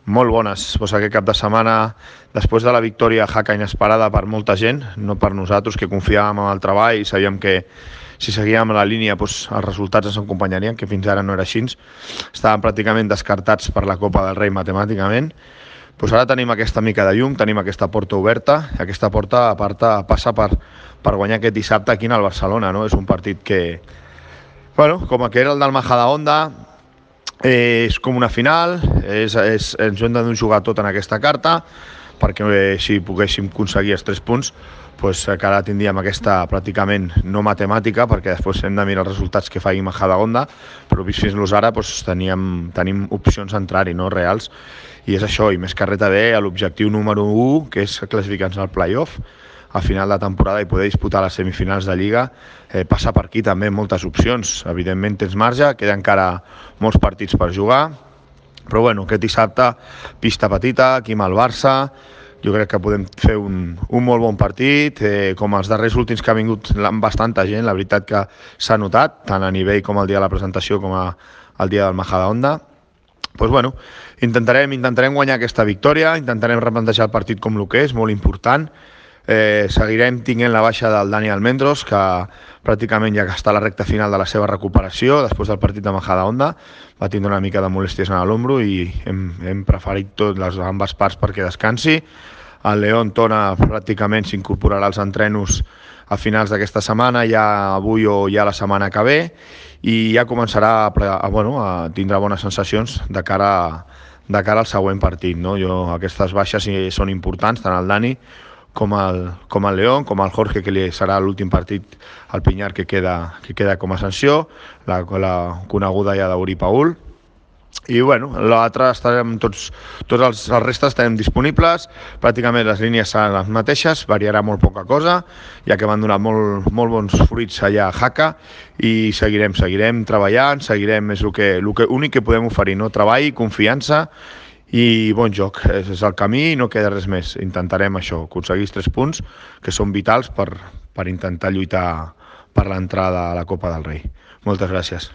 Molt bones. Pues aquest cap de setmana, després de la victòria Jaca inesperada per molta gent, no per nosaltres, que confiàvem en el treball i sabíem que si seguíem la línia els resultats ens acompanyarien, que fins ara no era així. Estàvem pràcticament descartats per la Copa del Rei matemàticament. Ara tenim aquesta mica de llum, tenim aquesta porta oberta, i aquesta porta a part passa per guanyar aquest dissabte aquí al Barcelona, no? És un partit que, com que era el del Majadahonda, és com una final, ens hem de jugar tot en aquesta carta, perquè si poguéssim aconseguir els 3 punts, que ara tindríem aquesta pràcticament no matemàtica, perquè després hem de mirar els resultats que faci Majadahonda, però fins ara tenim opcions d'entrar-hi, no, reals, i és això, i més que res també l'objectiu número 1, que és classificar-nos al play-off a final de temporada i poder disputar les semifinals de Lliga. Passa per aquí també moltes opcions, evidentment tens marge, queden encara molts partits per jugar, però aquest dissabte pista petita, aquí amb el Barça, jo crec que podem fer un molt bon partit, com els darrers últims que ha vingut amb bastanta gent, la veritat que s'ha notat, tant a nivell com el dia de la presentació com el dia del Majadahonda. Intentarem guanyar aquesta victòria, intentarem replantejar el partit com el que és, molt important. Seguirem tinguent la baixa del Dani Almendros, que pràcticament ja està a la recta final de la seva recuperació després del partit de Majadahonda. Va tindre una mica de molèsties en l'ombro i hem preferit les ambes parts perquè descansi. El León Tona pràcticament s'incorporarà als entrenos a finals d'aquesta setmana, ja avui o ja la setmana que ve, i ja començarà a tindre bones sensacions de cara al següent partit, no? Aquestes baixes són importants, tant el Dani com el León, com el Jorge, que li serà l'últim partit al Pinyar que queda com a sanció, la coneguda ja d'Uri Paul. I l'altre estarem tots els restes estarem disponibles, pràcticament les línies seran les mateixes, variarà molt poca cosa, ja que van donar molt bons fruits allà a Jaca, i seguirem treballant, és l'únic que podem oferir, no? Treball, confiança i bon joc, és el camí i no queda res més. Intentarem això, aconseguir 3 punts que són vitals per intentar lluitar per l'entrada a la Copa del Rei. Moltes gràcies.